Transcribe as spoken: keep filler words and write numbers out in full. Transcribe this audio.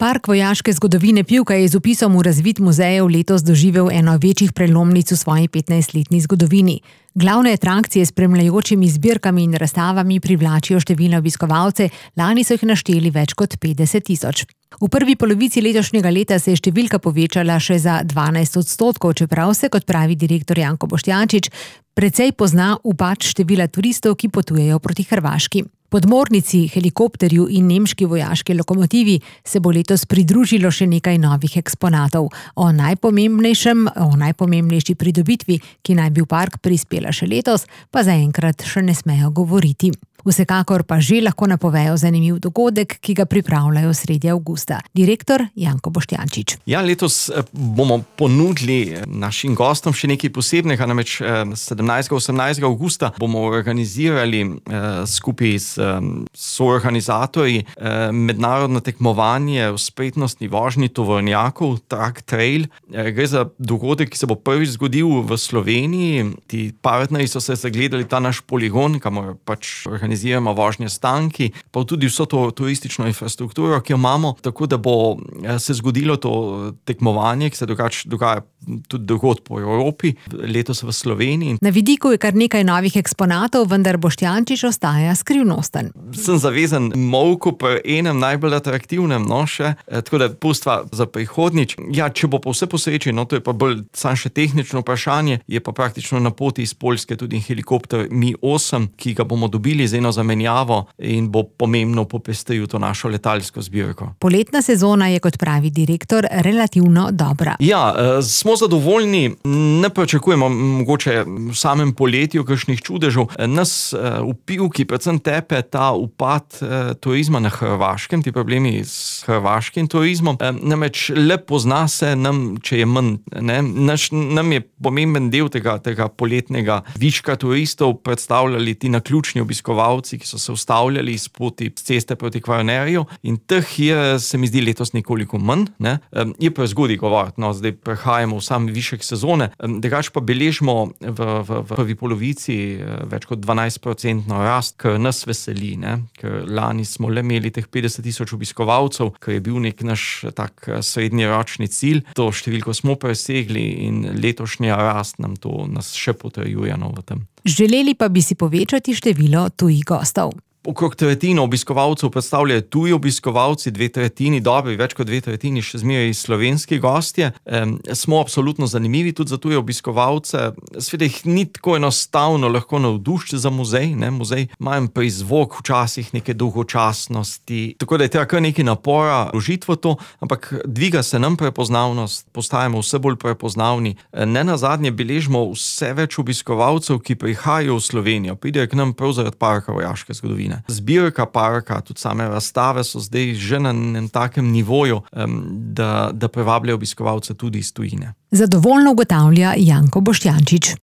Park vojaške zgodovine Pivka je z vpisom v razvid muzejev letos doživel eno večjih prelomnic v svoji petnajstletni zgodovini. Glavne atrakcije s spremljajočimi zbirkami in razstavami privlačijo številne obiskovalce, lani so jih našteli več kot petdeset tisoč. V prvi polovici letošnjega leta se je številka povečala še za dvanajst odstotkov, čeprav se, kot pravi direktor Janko Boštjančič, precej pozna upad števila turistov, ki potujejo proti Hrvaški. Podmornici, helikopterju in nemški vojaški lokomotivi se bo letos pridružilo še nekaj novih eksponatov. O najpomembnejšem, o najpomembnejši pridobitvi, ki naj bi v park prispela še letos, pa zaenkrat še ne smejo govoriti. Vsekakor pa že lahko napovejo zanimiv dogodek, ki ga pripravljajo sredi avgusta. Direktor Janko Boštjančič. Ja, letos bomo ponudili našim gostom še nekaj posebnega, namreč sedemnajstega osemnajstega avgusta bomo organizirali eh, skupaj s soorganizatorji eh, mednarodno tekmovanje v spretnostni vožnji tovornjakov Truck Trail. Eh, gre za dogodek, ki se bo prvič zgodil v Sloveniji. Ti partnerji so se zagledali ta naš poligon, kamor pač organiziramo organiziramo vožnje s tanki, pa tudi vso to turistično infrastrukturo, ki jo imamo, tako da bo se zgodilo to tekmovanje, ki se dogač, dogaja tudi drugod po Evropi, letos v Sloveniji. Na vidiku je kar nekaj novih eksponatov, vendar Boštjančič ostaja skrivnosten. Sem zavezan molku pri enem najbolj atraktivnem, no še, tako da pustva za prihodnjič. Ja, če bo pa vse po sreči, no to je pa bolj samo še tehnično vprašanje, je pa praktično na poti iz Poljske tudi helikopter Mi osem, ki ga bomo dobili z eno zamenjavo in bo pomembno popestril to našo letalsko zbirko. Poletna sezona je, kot pravi direktor, relativno dobra. Ja, smo zadovoljni, ne pričakujemo mogoče v samem poletju kakšnih čudežev. Nas v Pivki predvsem tepe ta upad turizma na Hrvaškem, ti problemi s hrvaškim turizmom. Namreč le pozna se nam, če je manj, ne, naš, nam je pomemben del tega, tega poletnega viška turistov predstavljali ti naključni obiskovalci, ki so se ustavljali iz poti ceste proti Kvarnerju, in teh je, se mi zdi, letos nekoliko manj, ne. Je pa zgodaj govoriti, no, zdaj prehajamo v sam višek sezone, drugače pa beležimo v, v, v prvi polovici več kot dvanajst procentno rast, kar nas veseli, ne, ker lani smo le imeli teh petdeset tisoč obiskovalcev, kar je bil nek naš tak srednjeročni cilj, to številko smo presegli in letošnja rast nam to nas še potrjuje, no, v tem. Želeli pa bi si povečati število tujih gostov. Okrog tretjino obiskovalcev predstavljajo tuji obiskovalci, dve tretjini dobri, več kot dve tretjini še zmeraj slovenski gostje. E, smo absolutno zanimivi tudi za tuje obiskovalce. Sveda jih ni tako enostavno lahko navdušiti za muzej, ne, muzej ima en prizvok včasih neke dolgočasnosti, tako da je treba kar nekaj napora vložiti v to, ampak dviga se nam prepoznavnost, postajamo vse bolj prepoznavni. E, ne nazadnje beležimo vse več obiskovalcev, ki prihajajo v Slovenijo, pridejo k nam prav zaradi parka vojaške zgodovine. Zbirka parka, tudi same razstave so zdaj že na enem takem nivoju, da, da privabljajo obiskovalce tudi iz tujine. Zadovoljno ugotavlja Janko Boštjančič.